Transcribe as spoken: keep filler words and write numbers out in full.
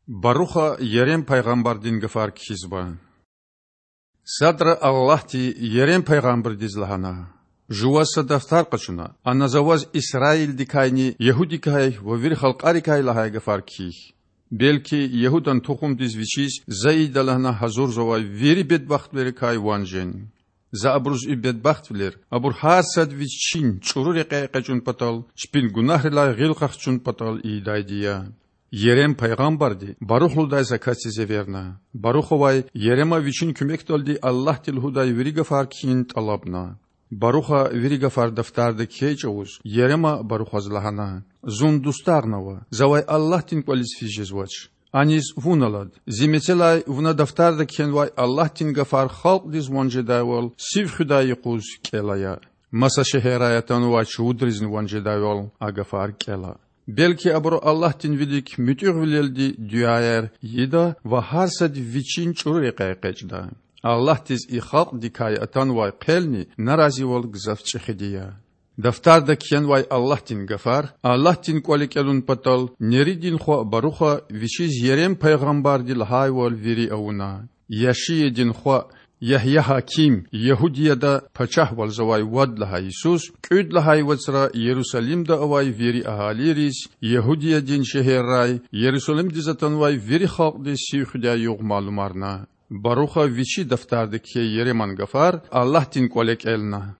Баруха Ерем пайгъамбардин гафар кхьизва. Садра Аллагьди Ерем пайгъамбардиз лагьана: Жуваз са дафтар къачуна, ана За ваз Исраилдикайни Ягьудиядикай ва вири халкьарикай лагьай гафар кхьихь. Белки Ягьудан тухумдиз вичиз За ийида лагьана гьазурзавай вири бедбахтвилерикай ван жен. За абуруз и бедбахтвилер абур гьар сад вичин чІуру рекьяй экъечІун патал, чпин гунагьрилай гъил къахчун патал ийидайди я. Ерем пайгъамбарди Барух лугьудай са касдиз эверна. Барухавай Ерема вичин куьмекдалди Аллагьди лугьудай вири гафар кхьин тІалабна. Баруха вири гафар дафтарда кхьей чІавуз, Ерема Барухаз лагьана: Зун дустагънава, завай Аллагьдин кІвализ физ жезвач. Аниз вун алад, зи мецелай вуна дафтарда кхьенвай Аллагьдин гафар халкьдиз ван жедайвал сив хуьдай юкъуз кІел ая. Маса шегьеррай атанвай чувудризни ван жедайвал а гафар кІел ая. Белки абуру Аллагьдин вилик муьтІуьгъвилелди дуьаяр ийида ва гьар сад вичин чІуру рекьяй экъечІда. Аллагьдиз и халкьдикай атанвай хъелни наразивал гзаф чІехиди я. Дафтарда кхьенвай Аллагьдин гафар Аллагьдин кІвале кІелун патал Неридин хва Баруха вичиз Ерем пайгъамбарди лагьайвал вири авуна. Яшиядин хва Ягьягьаким Ягьудияда пачагьвалзавай вад лагьай йисуз кІуьд лагьай вацра Ярусалимда авай вири агьалийриз, Ягьудиядин шегьеррай Ярусалимдиз атанвай вири халкьдиз сив хуьдай югъ малумарна. Баруха вичи дафтарда кхьей Ереман гафар Аллагьдин кІвале кІелна.